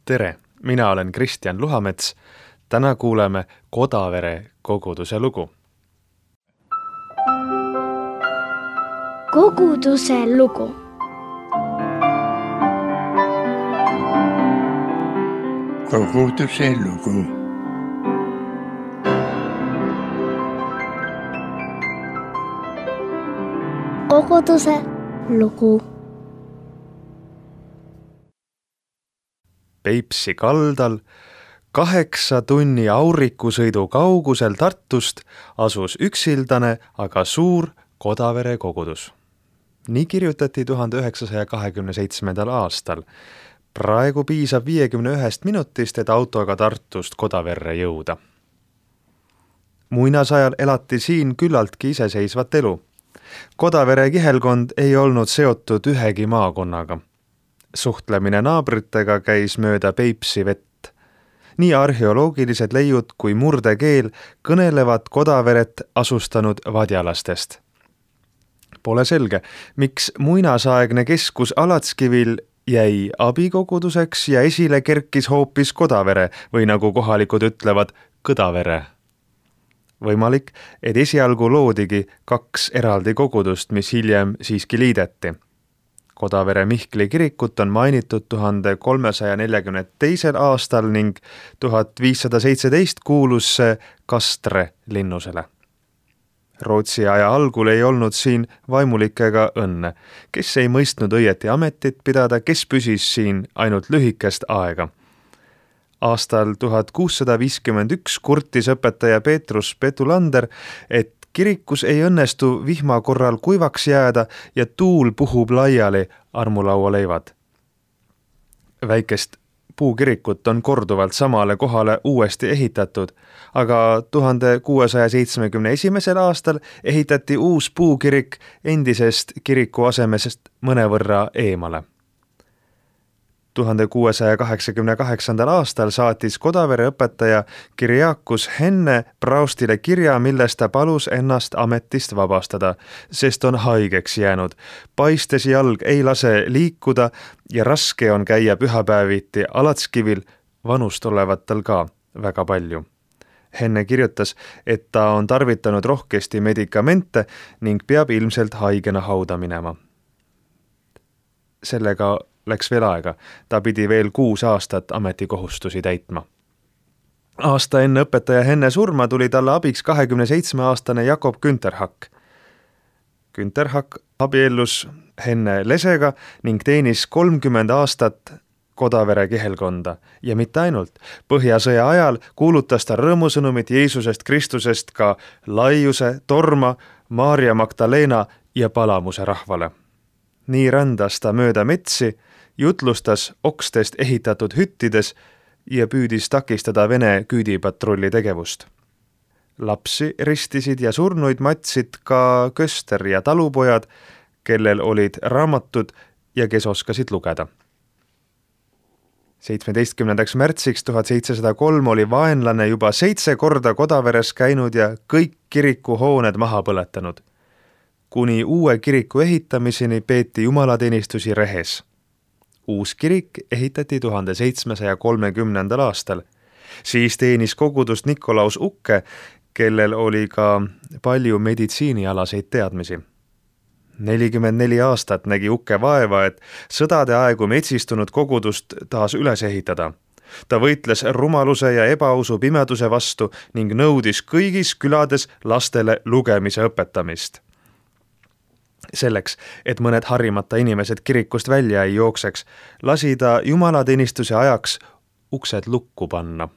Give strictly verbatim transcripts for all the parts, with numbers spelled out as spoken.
Tere, mina olen Kristjan Luhamets. Täna kuuleme Kodavere koguduse lugu. Koguduse lugu. Koguduse lugu. Koguduse lugu. Peipsi kaldal, kaheksa tunni aurikusõidu kaugusel Tartust asus üksildane, aga suur Kodavere kogudus. Nii kirjutati tuhande üheksasaja kahekümne seitsmendal aastal. Praegu piisab viiekümne ühest minutist, et autoga Tartust Kodaverre jõuda. Muinasajal elati siin küllaltki iseseisvat elu. Kodavere kihelkond ei olnud seotud ühegi maakonnaga. Suhtlemine naabritega käis mööda Peipsi vett. Nii arheoloogilised leiud kui murdekeel kõnelevad Kodaveret asustanud vadjalastest. Pole selge, miks muinasaegne keskus Alatskivil jäi abikoguduseks ja esile kerkis hoopis Kodavere või nagu kohalikud ütlevad, Kõdavere. Võimalik, et esialgu loodigi kaks eraldi kogudust, mis hiljem siiski liideti. Kodavere Mihkli kirikut on mainitud tuhande kolmesaja neljakümne teisel aastal ning tuhat viissada seitseteist kuulus see Kastre linnusele. Rootsi aja algul ei olnud siin vaimulikega õnne, kes ei mõistnud õieti ametit pidada, kes püsis siin ainult lühikest aega. Aastal tuhat kuussada viiskümmend üks kurtis õpetaja Peetrus Petulander, et kirikus ei õnnestu vihma korral kuivaks jääda ja tuul puhub laiali armulaualeivad. Väikest puukirikut on korduvalt samale kohale uuesti ehitatud, aga tuhande kuuesaja seitsmekümne esimesel aastal ehitati uus puukirik endisest kiriku asemesest mõnevõrra eemale. tuhande kuuesaja kaheksakümne kaheksandal aastal saatis Kodavere õpetaja Kiriakus Henne praustile kirja, milles ta palus ennast ametist vabastada, sest on haigeks jäänud. Paistes jalg ei lase liikuda ja raske on käia pühapäeviti Alatskivil, vanust olevat tal ka väga palju. Henne kirjutas, et ta on tarvitanud rohkesti medikamente ning peab ilmselt haigena hauda minema. Sellega läks veel aega. Ta pidi veel kuus aastat ametikohustusi täitma. Aasta enne õpetaja Henne surma tuli talle abiks kahekümne seitsme aastane Jakob Günterhak. Günterhak abiellus Henne lesega ning teenis kolmkümmend aastat Kodavere kihelkonda ja mitte ainult. Põhjasõja ajal kuulutas ta rõõmusõnumit Jeesusest Kristusest ka Laiuse, Torma, Maarja Magdalena ja Palamuse rahvale. Nii rändas ta mööda metsi, jutlustas okstest ehitatud hüttides ja püüdis takistada Vene küüdipatrulli tegevust. Lapsi ristisid ja surnuid matsid ka köster ja talupojad, kellel olid raamatud ja kes oskasid lugeda. seitsmeteistkümnendaks märtsiks tuhat seitsesada kolm oli vaenlane juba seitse korda Kodaveres käinud ja kõik kirikuhooned maha põletanud. Kuni uue kiriku ehitamiseni peeti jumalateenistusi rehes. Uus kirik ehitati tuhande seitsmesaja kolmekümnendal aastal. Siis teenis kogudust Nikolaus Ukke, kellel oli ka palju meditsiinialaseid teadmisi. nelikümmend neli aastat nägi Ukke vaeva, et sõdade aegu metsistunud kogudust taas üles ehitada. Ta võitles rumaluse ja ebausu pimeduse vastu ning nõudis kõigis külades lastele lugemise õpetamist. Selleks, et mõned harimata inimesed kirikust välja ei jookseks, lasi ta jumalateenistuse ajaks uksed lukku panna.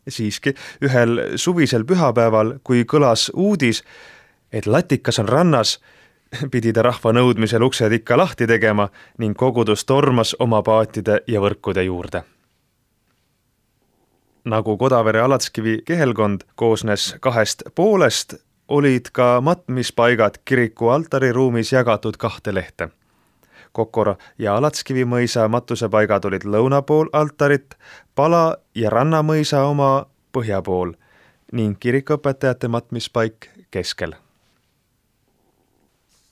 Siiski ühel suvisel pühapäeval, kui kõlas uudis, et latikas on rannas, pidi ta rahva nõudmisel uksed ikka lahti tegema ning kogudus tormas oma paatide ja võrkude juurde. Nagu Kodavere Alatskivi kihelkond koosnes kahest poolest, olid ka matmispaigad kiriku altariruumis jagatud kahte lehte. Kokora ja Alatskivi mõisa matusepaigad olid lõuna pool altarit, Pala ja Rannamõisa oma põhja pool ning kirikuõpetajate matmispaik keskel.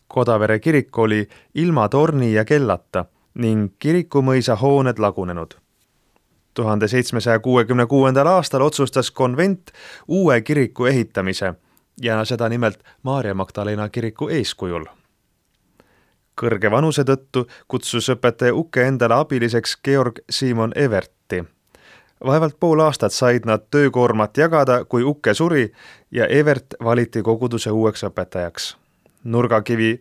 Kodavere kirik oli ilma torni ja kellata ning kirikumõisa hooned lagunenud. tuhande seitsmesaja kuuekümne kuuendal aastal otsustas konvent uue kiriku ehitamise ja seda nimelt Maarja Magdalena kiriku eeskujul. Kõrge vanuse tõttu kutsus õpetaja Uke endale abiliseks Georg Simon Everti. Vaevalt pool aastat said nad töökoormat jagada, kui Uke suri ja Evert valiti koguduse uueks õpetajaks. Nurgakivi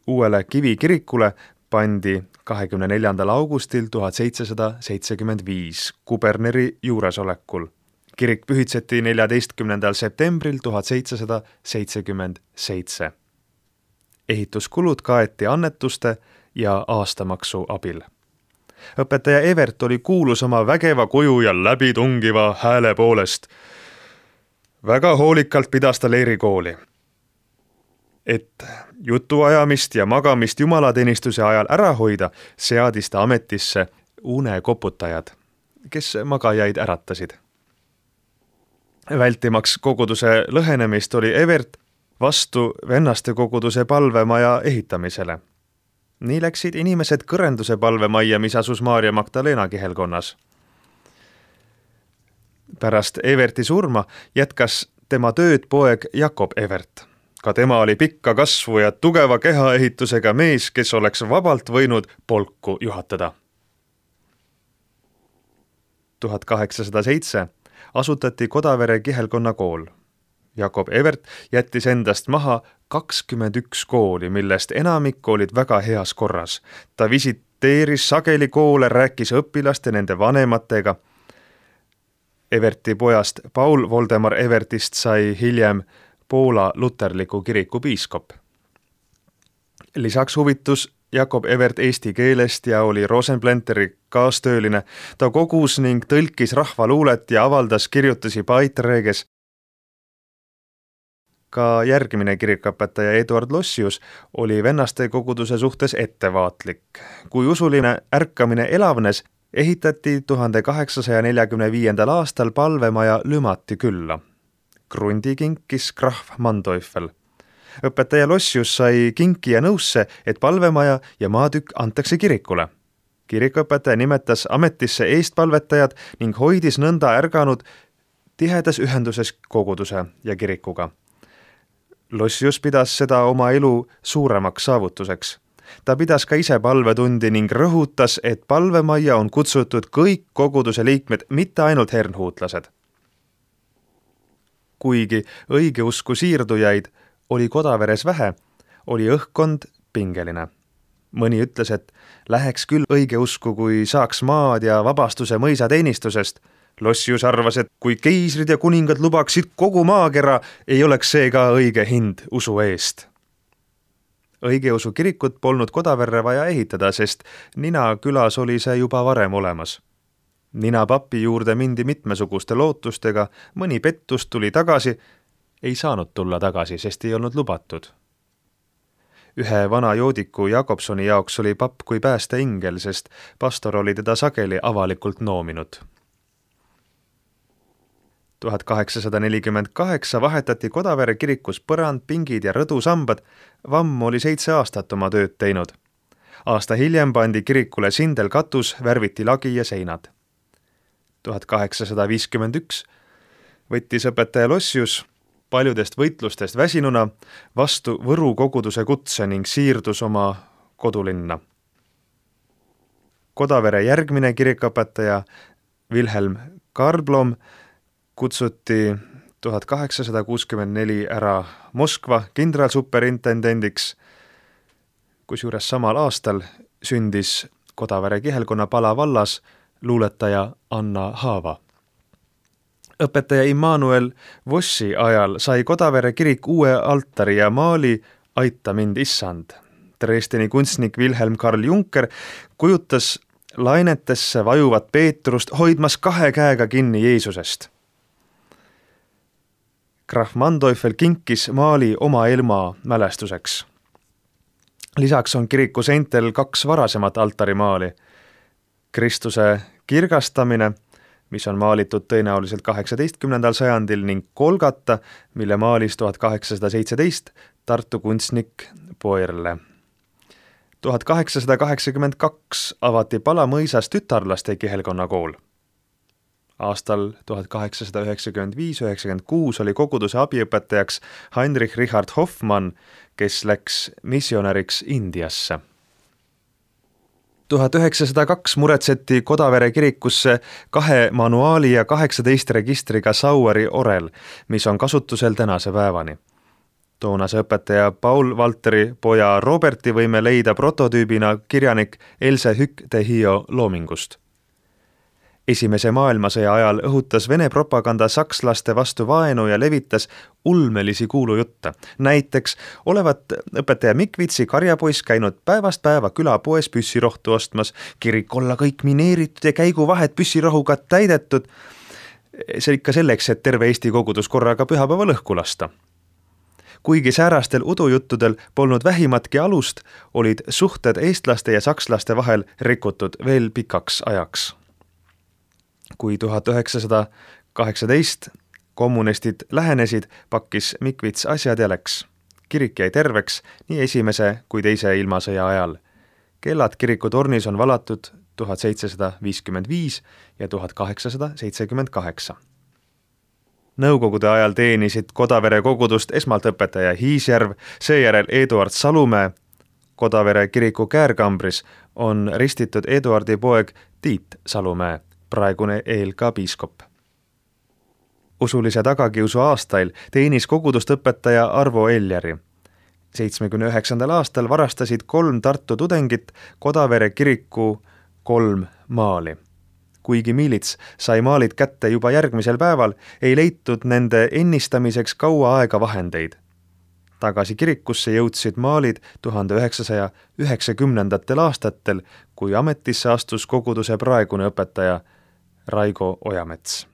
uuele kivikirikule pandi kahekümne neljandal augustil tuhat seitsesada seitsekümmend viis kuberneri juuresolekul. Kirik pühitseti neljateistkümnendal septembril tuhat seitsesada seitsekümmend seitse. Ehituskulud kaeti annetuste ja aastamaksu abil. Õpetaja Evert oli kuulus oma vägeva kuju ja läbitungiva hääle poolest. Väga hoolikalt pidas ta leerikooli, et jutuajamist ja magamist jumalateenistuse ajal ära hoida, seadis ta ametisse unekoputajad, kes magajaid äratasid. Vältimaks koguduse lõhenemist oli Evert vastu vennaste koguduse palvemaja ehitamisele. Nii läksid inimesed kõrenduse palvemajja, mis asus Maarja Magdalena kihelkonnas. Pärast Everti surma jätkas tema tööd poeg Jakob Evert. Ka tema oli pikka kasvu ja tugeva kehaehitusega mees, kes oleks vabalt võinud polku juhatada. tuhat kaheksasada seitse asutati Kodavere kihelkonna kool. Jakob Evert jättis endast maha kakskümmend üks kooli, millest enamik olid väga heas korras. Ta visiteeris sageli koole, rääkis õpilaste nende vanematega. Everti pojast Paul Voldemar Evertist sai hiljem Poola luterliku kiriku piiskop. Lisaks huvitus Jakob Evert eesti keelest ja oli Rosenplanteri kaastööline. Ta kogus ning tõlkis rahvaluulet ja avaldas kirjutusi Paitreges. Ka järgmine kirikuõpetaja Eduard Lossius oli vennaste koguduse suhtes ettevaatlik. Kui usuline ärkamine elavnes, ehitati tuhande kaheksasaja neljakümne viiendal aastal palvemaja Lümati külla. Krundi kinkis krahv Manteufel. Õpetaja Lossius sai kinki ja nõusse, et palvemaja ja maatükk antakse kirikule. Kirikuõpetaja nimetas ametisse eestpalvetajad ning hoidis nõnda ärganud tihedas ühenduses koguduse ja kirikuga. Lossius pidas seda oma elu suuremaks saavutuseks. Ta pidas ka ise palvetundi ning rõhutas, et palvemajja on kutsutud kõik koguduse liikmed, mitte ainult hernhuutlased. Kuigi õigeusku siirdujaid oli Kodaveres vähe, oli õhkkond pingeline. Mõni ütles, et läheks küll õigeusku, kui saaks maad ja vabastuse mõisateenistusest. Lossius arvas, et kui keisrid ja kuningad lubaksid kogu maakera, ei oleks see ka õige hind usu eest. Õigeusu kirikut polnud Kodaverre vaja ehitada, sest Nina külas oli see juba varem olemas. Nina papi juurde mindi mitmesuguste lootustega, mõni pettus tuli tagasi, ei saanud tulla tagasi, sest ei olnud lubatud. Ühe vana joodiku Jakobsoni jaoks oli papp kui päästeingel, sest pastor oli teda sageli avalikult noominud. tuhat kaheksasada nelikümmend kaheksa vahetati Kodavere kirikus põrand, pingid ja rõdusambad. Vamm oli seitse aastat oma tööd teinud. Aasta hiljem pandi kirikule sindel katus, värviti lagi ja seinad. tuhat kaheksasada viiskümmend üks võttis õpetaja Lossius paljudest võitlustest väsinuna vastu Võru koguduse kutse ning siirdus oma kodulinna. Kodavere järgmine kirikuõpetaja Wilhelm Karblom kutsuti tuhat kaheksasada kuuskümmend neli ära Moskva kindralsuperintendendiks, kusjuures samal aastal sündis Kodavere kihelkonna Pala vallas luuletaja Anna Haava. Õpetaja Immanuel Vossi ajal sai Kodavere kirik uue altari ja maali Aita mind issand. Dresdeni kunstnik Wilhelm Karl Juncker kujutas lainetesse vajuvat Peetrust hoidmas kahe käega kinni Jeesusest. Krahv Manteufel kinkis maali oma ilma mälestuseks. Lisaks on kiriku seintel kaks varasemat altarimaali. Kristuse kirgastamine, mis on maalitud tõenäoliselt kaheksateistkümnendal sajandil ning Kolgata, mille maalis tuhat kaheksasada seitseteist Tartu kunstnik Poirle. tuhat kaheksasada kaheksakümmend kaks avati Pala mõisas tütarlaste kihelkonna kool. Aastal tuhat kaheksasada üheksakümmend viis üheksakümmend kuus oli koguduse abiõpetajaks Heinrich Richard Hoffmann, kes läks missionäriks Indiasse. tuhat üheksasada kaks muretseti Kodavere kirikusse kahe manuaali ja kaheksateist registriga Saueri orel, mis on kasutusel tänase päevani. Toonase õpetaja Paul Valteri poja Roberti võime leida prototüübina kirjanik Else Hück-Tehio loomingust. Esimese maailmasõja ajal õhutas Vene propaganda sakslaste vastu vaenu ja levitas ulmelisi kuulujutte. Näiteks olevat õpetaja Mikvitsi karjapoiss käinud päevast päeva külapoes püssirohtu ostmas, kirik olla kõik mineeritud ja käiguvahed püssirohuga täidetud. See ikka selleks, et terve Eesti kogudus korraga pühapäeval õhku lasta. Kuigi säärastel udujuttudel polnud vähimatki alust, olid suhted eestlaste ja sakslaste vahel rikutud veel pikaks ajaks. Kui tuhat üheksasada kaheksateist kommunistid lähenesid, pakkis Mikvits asjad ja läks. Kirik jäi terveks nii esimese kui teise ilmasõja ajal. Kellad kiriku tornis on valatud tuhat seitsesada viiskümmend viis ja tuhat kaheksasada seitsekümmend kaheksa. Nõukogude ajal teenisid Kodavere kogudust esmalt õpetaja Hiisjärv, seejärel Eduard Salumäe. Kodavere kiriku käärkambris on ristitud Eduardi poeg Tiit Salumäe, praegune eel ka piiskop. Usulise tagakiusu aastail teenis kogudust õpetaja Arvo Eljari. seitsmekümne üheksandal aastal varastasid kolm Tartu tudengit Kodavere kiriku kolm maali. Kuigi miilits sai maalid kätte juba järgmisel päeval, ei leitud nende ennistamiseks kaua aega vahendeid. Tagasi kirikusse jõudsid maalid tuhande üheksasaja üheksakümnendatel aastatel, kui ametisse astus koguduse praegune õpetaja Raigo Ojamets.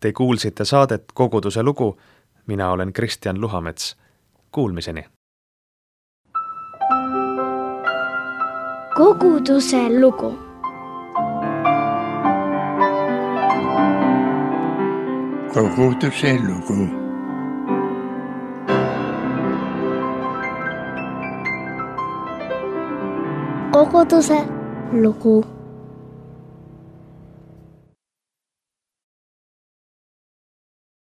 Te kuulsite saadet Koguduse lugu. Mina olen Kristjan Luhamets. Kuulmiseni. Koguduse lugu. Koguduse lugu. Koguduse lugu.